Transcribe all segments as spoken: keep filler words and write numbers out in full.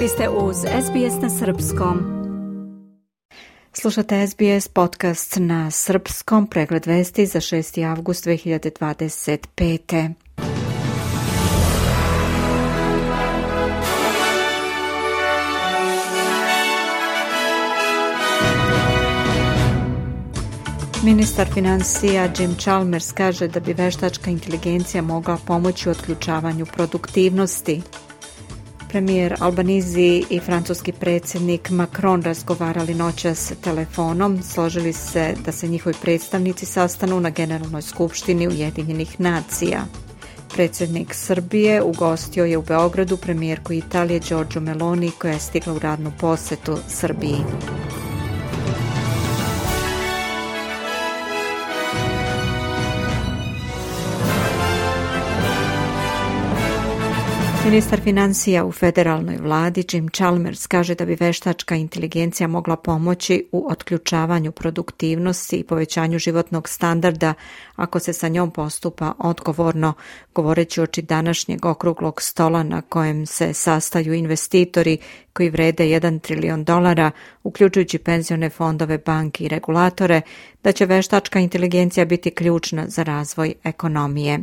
Vi ste uz S B S na srpskom. Slušate S B S podcast na srpskom, pregled vesti za šesti avgust dve hiljade dvadeset pete. Ministar financija Jim Chalmers kaže da bi veštačka inteligencija mogla pomoći u otključavanju produktivnosti. Premijer Albanese i francuski predsjednik Macron razgovarali noćas telefonom, složili se da se njihovi predstavnici sastanu na Generalnoj skupštini Ujedinjenih nacija. Predsjednik Srbije ugostio je u Beogradu premijerku Italije Giorgio Meloni, koja je stigla u radnu posetu Srbiji. Ministar financija u federalnoj vladi Jim Chalmers kaže da bi veštačka inteligencija mogla pomoći u otključavanju produktivnosti i povećanju životnog standarda ako se sa njom postupa odgovorno, govoreći oči današnjeg okruglog stola na kojem se sastaju investitori koji vrede jedan trilion dolara, uključujući penzione fondove, banke i regulatore, da će veštačka inteligencija biti ključna za razvoj ekonomije.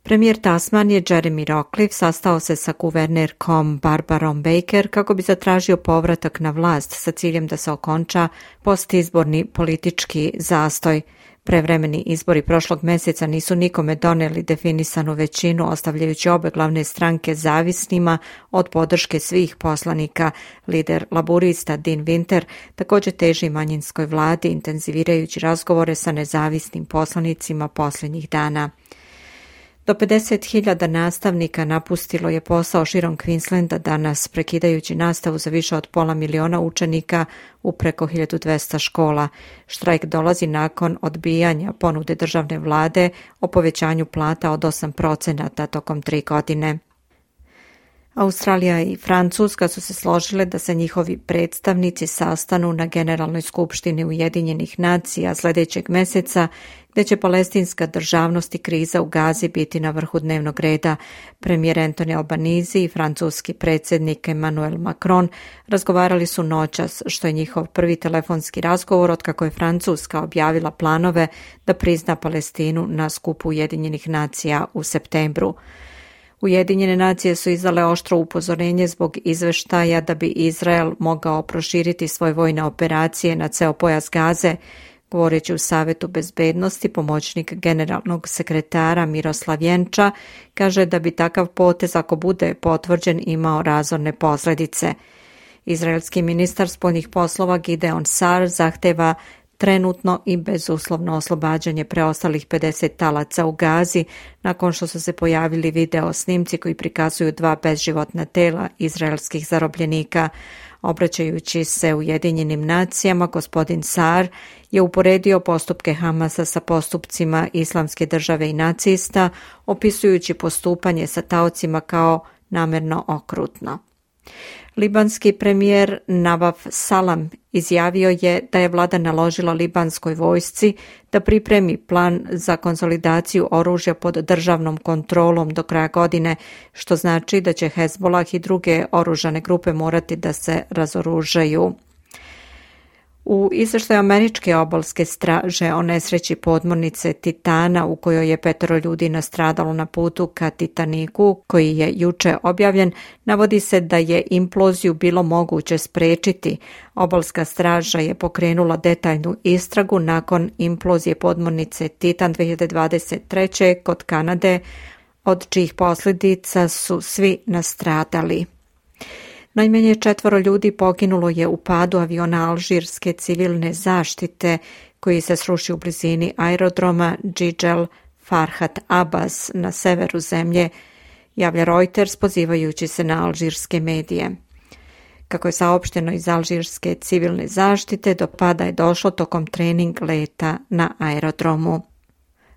Premijer Tasmanije Jeremy Rockliff sastao se sa guvernerkom Barbarom Baker kako bi zatražio povratak na vlast sa ciljem da se okonča postizborni politički zastoj. Prevremeni izbori prošlog mjeseca nisu nikome doneli definisanu većinu, ostavljajući obe glavne stranke zavisnima od podrške svih poslanika. Lider laburista Dean Winter također teži manjinskoj vladi, intenzivirajući razgovore sa nezavisnim poslanicima posljednjih dana. Do pedeset hiljada nastavnika napustilo je posao širom Queenslanda danas, prekidajući nastavu za više od pola miliona učenika u preko hiljadu dvesta škola. Štrajk dolazi nakon odbijanja ponude državne vlade o povećanju plata od osam procenata tokom tri godine. Australija i Francuska su se složile da se njihovi predstavnici sastanu na Generalnoj skupštini Ujedinjenih nacija sljedećeg mjeseca, gdje će palestinska državnost i kriza u Gazi biti na vrhu dnevnog reda. Premijer Anthony Albanese i francuski predsjednik Emmanuel Macron razgovarali su noćas, što je njihov prvi telefonski razgovor otkako je Francuska objavila planove da prizna Palestinu na skupu Ujedinjenih nacija u septembru. Ujedinjene nacije su izdale oštro upozorenje zbog izveštaja da bi Izrael mogao proširiti svoje vojne operacije na ceo pojas Gaze. Govoreći u Savetu bezbednosti, pomoćnik generalnog sekretara Miroslav Jenča kaže da bi takav potez, ako bude potvrđen, imao razorne posljedice. Izraelski ministar spoljnih poslova Gideon Sar zahteva trenutno i bezuslovno oslobađanje preostalih pedeset talaca u Gazi, nakon što su se pojavili video snimci koji prikazuju dva bezživotna tela izraelskih zarobljenika. Obraćajući se Ujedinjenim nacijama, gospodin Sar je uporedio postupke Hamasa sa postupcima Islamske države i nacista, opisujući postupanje sa taocima kao namerno okrutno. Libanski premijer Navaf Salam izjavio je da je vlada naložila libanskoj vojsci da pripremi plan za konsolidaciju oružja pod državnom kontrolom do kraja godine, što znači da će Hezbollah i druge oružane grupe morati da se razoružaju. U izvještaju američke obalske straže o nesreći podmornice Titana, u kojoj je petero ljudi nastradalo na putu ka Titaniku, koji je juče objavljen, navodi se da je imploziju bilo moguće spriječiti. Obalska straža je pokrenula detaljnu istragu nakon implozije podmornice Titan dve hiljade dvadeset treće kod Kanade, od čijih posljedica su svi nastradali. Najmanje četvoro ljudi poginulo je u padu aviona alžirske civilne zaštite koji se srušio u blizini aerodroma Džidžel Farhat Abbas na severu zemlje, javlja Reuters pozivajući se na alžirske medije. Kako je saopšteno iz alžirske civilne zaštite, do pada je došlo tokom trening leta na aerodromu.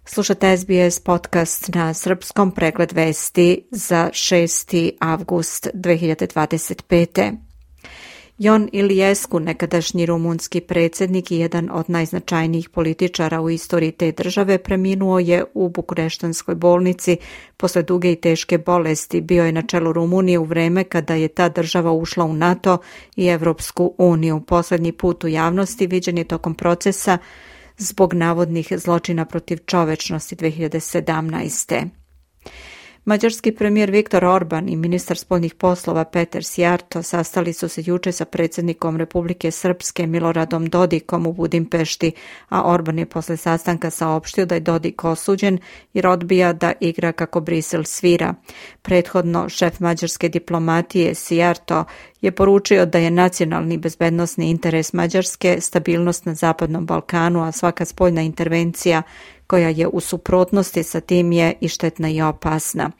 Slušate S B S podcast na srpskom, pregled vesti za šesti avgust dve hiljade dvadeset pete. Ion Iliescu, nekadašnji rumunski predsjednik i jedan od najznačajnijih političara u istoriji te države, preminuo je u bukureštanskoj bolnici posle duge i teške bolesti. Bio je na čelu Rumunije u vreme kada je ta država ušla u NATO i Evropsku uniju. Posljednji put u javnosti viđen je tokom procesa zbog navodnih zločina protiv čovečnosti dve hiljade sedamnaeste. Mađarski premijer Viktor Orban i ministar spoljnih poslova Peter Szijjártó sastali su se juče sa predsjednikom Republike Srpske Miloradom Dodikom u Budimpešti, a Orban je posle sastanka saopštio da je Dodik osuđen jer odbija da igra kako Brisel svira. Prethodno šef mađarske diplomatije Szijjártó je poručio da je nacionalni bezbednosni interes Mađarske stabilnost na Zapadnom Balkanu, a svaka spoljna intervencija koja je u suprotnosti sa tim je i štetna i opasna.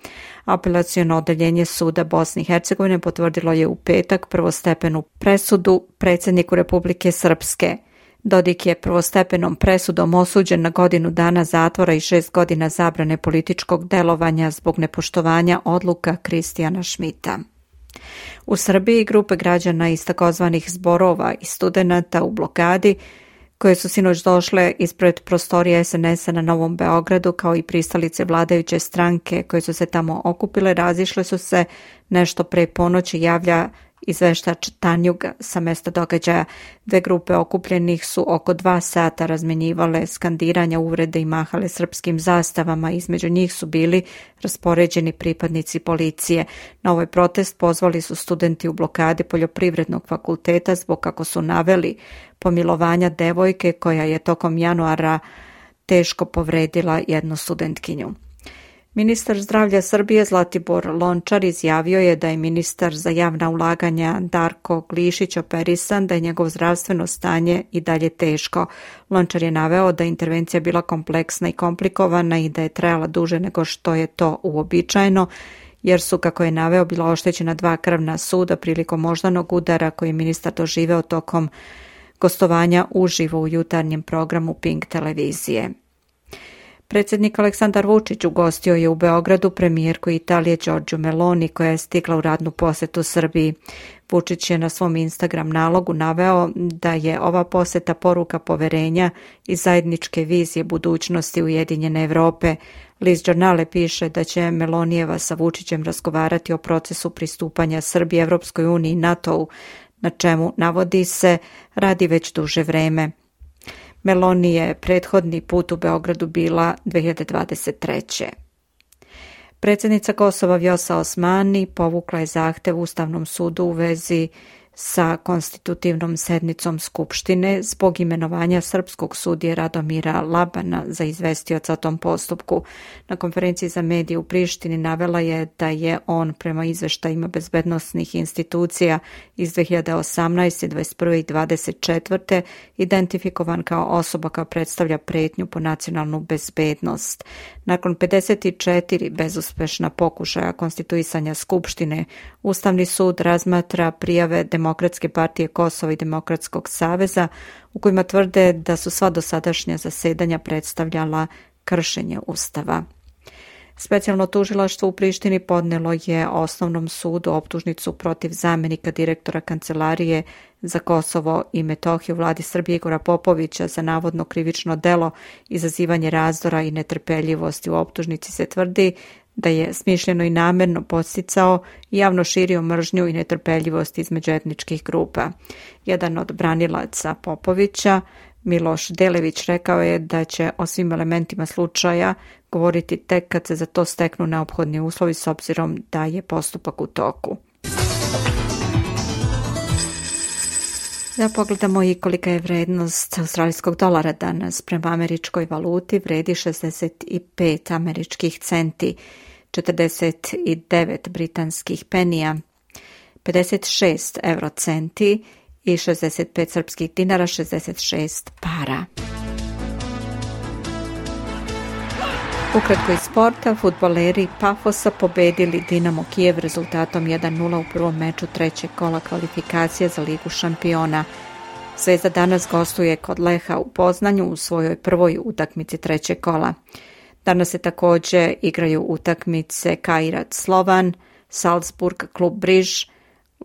Apelaciono odeljenje suda Bosne i Hercegovine potvrdilo je u petak prvostepenu presudu predsjedniku Republike Srpske. Dodik je prvostepenom presudom osuđen na godinu dana zatvora i šest godina zabrane političkog delovanja zbog nepoštovanja odluka Kristijana Šmita. U Srbiji grupe građana iz takozvanih zborova i studenata u blokadi koje su sinoć došle ispred prostorija es en es a na Novom Beogradu, kao i pristalice vladajuće stranke koje su se tamo okupile, razišle su se nešto pre ponoći, javlja izveštač Tanjug sa mesta događaja. Dve grupe okupljenih su oko dva sata razmenjivale skandiranja, uvrede i mahale srpskim zastavama. Između njih su bili raspoređeni pripadnici policije. Na ovaj protest pozvali su studenti u blokadi Poljoprivrednog fakulteta zbog, kako su naveli, pomilovanja devojke koja je tokom januara teško povredila jednu studentkinju. Ministar zdravlja Srbije Zlatibor Lončar izjavio je da je ministar za javna ulaganja Darko Glišić operisan, da je njegovo zdravstveno stanje i dalje teško. Lončar je naveo da je intervencija bila kompleksna i komplikovana i da je trajala duže nego što je to uobičajeno, jer su, kako je naveo, bila oštećena dva krvna suda prilikom moždanog udara koji je ministar doživeo tokom gostovanja uživo u jutarnjem programu Pink televizije. Predsjednik Aleksandar Vučić ugostio je u Beogradu premijerku Italije Giorgiju Meloni, koja je stigla u radnu posjetu Srbiji. Vučić je na svom Instagram nalogu naveo da je ova posjeta poruka poverenja i zajedničke vizije budućnosti Ujedinjene Evrope. List Giornale piše da će Melonijeva sa Vučićem razgovarati o procesu pristupanja Srbije Evropskoj uniji i NATO-u, na čemu, navodi se, radi već duže vreme. Meloni je prethodni put u Beogradu bila dve hiljade dvadeset treće. Predsjednica Kosova Vjosa Osmani povukla je zahtev Ustavnom sudu u vezi sa konstitutivnom sednicom Skupštine zbog imenovanja srpskog sudije Radomira Labana za izvestioca o tom postupku. Na konferenciji za medije u Prištini navela je da je on prema izveštajima bezbednosnih institucija iz dve hiljade osamnaeste, dvadeset prve i dvadeset četvrte identifikovan kao osoba koja predstavlja pretnju po nacionalnu bezbednost. Nakon pedeset četiri bezuspešna pokušaja konstituisanja Skupštine, Ustavni sud razmatra prijave Demokratske partije Kosova i Demokratskog saveza u kojima tvrde da su sva dosadašnja zasedanja predstavljala kršenje Ustava. Specijalno tužilaštvo u Prištini podnelo je Osnovnom sudu optužnicu protiv zamjenika direktora Kancelarije za Kosovo i Metohiju vladi Srbije Igora Popovića za navodno krivično delo izazivanje razdora i netrpeljivosti. U optužnici se tvrdi da je smišljeno i namjerno podsticao i javno širio mržnju i netrpeljivost između etničkih grupa. Jedan od branilaca Popovića, Miloš Delević, rekao je da će o svim elementima slučaja govoriti tek kad se za to steknu neophodni uslovi s obzirom da je postupak u toku. Da pogledamo i kolika je vrednost australijskog dolara danas. Prema američkoj valuti vredi šezdeset pet američkih centi, četrdeset devet britanskih penija, pedeset šest eurocenti i šezdeset pet srpskih dinara, šezdeset šest para. Ukratko iz sporta, fudbaleri Pafosa pobedili Dinamo Kijev rezultatom jedan nula u prvom meču trećeg kola kvalifikacije za Ligu šampiona. Zvezda danas gostuje kod Leha u Poznanju u svojoj prvoj utakmici trećeg kola. Danas se također igraju utakmice Kairat Slovan, Salzburg, klub Briž,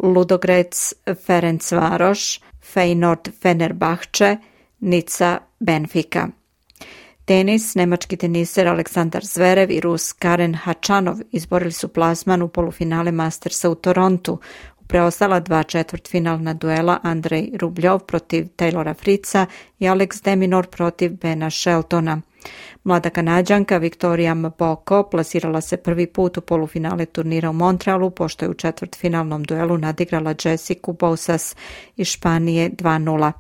Ludogorets Ferencvaroš, Feyenoord Fenerbahče, Nica Benfica. Tenis, nemački teniser Aleksandar Zverev i Rus Karen Hačanov izborili su plasman u polufinale Mastersa u Torontu. U preostala dva četvrtfinalna duela Andrej Rubljov protiv Taylora Fritza i Alex de Minaur protiv Bena Sheltona. Mlada Kanađanka Victoria Mboko plasirala se prvi put u polufinale turnira u Montrealu, pošto je u četvrtfinalnom duelu nadigrala Jessicu Bousas iz Španije dva nula.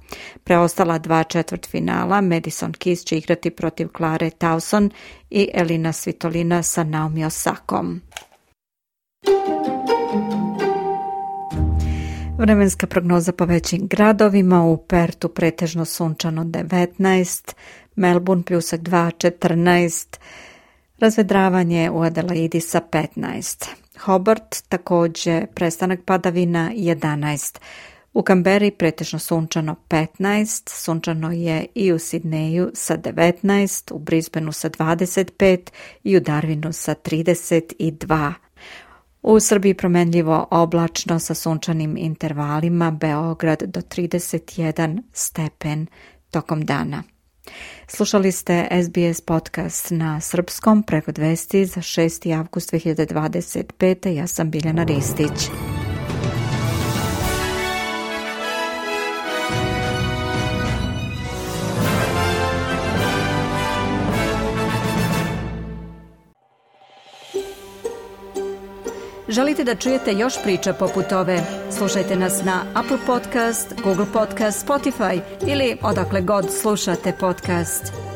Preostala dva četvrtfinala Madison Keys će igrati protiv Klare Towson i Elina Svitolina sa Naomi Osakom. Vremenska prognoza po većim gradovima: u Pertu pretežno sunčano devetnaest, Melbourne pljusak dva, četrnaest, razvedravanje u Adelaidi sa petnaest. Hobart također prestanak padavina jedanaest. U Kamberi pretežno sunčano petnaest, sunčano je i u Sidneju sa devetnaest, u Brisbaneu sa dvadeset pet i u Darwinu sa trideset dva. U Srbiji promenljivo oblačno sa sunčanim intervalima, Beograd do trideset jedan stepen tokom dana. Slušali ste S B S podcast na srpskom, prevod vesti za šesti avgust dve hiljade dvadeset pete. Ja sam Biljana Ristić. Želite da čujete još priča poput ove? Slušajte nas na Apple Podcast, Google Podcast, Spotify ili odakle god slušate podcast.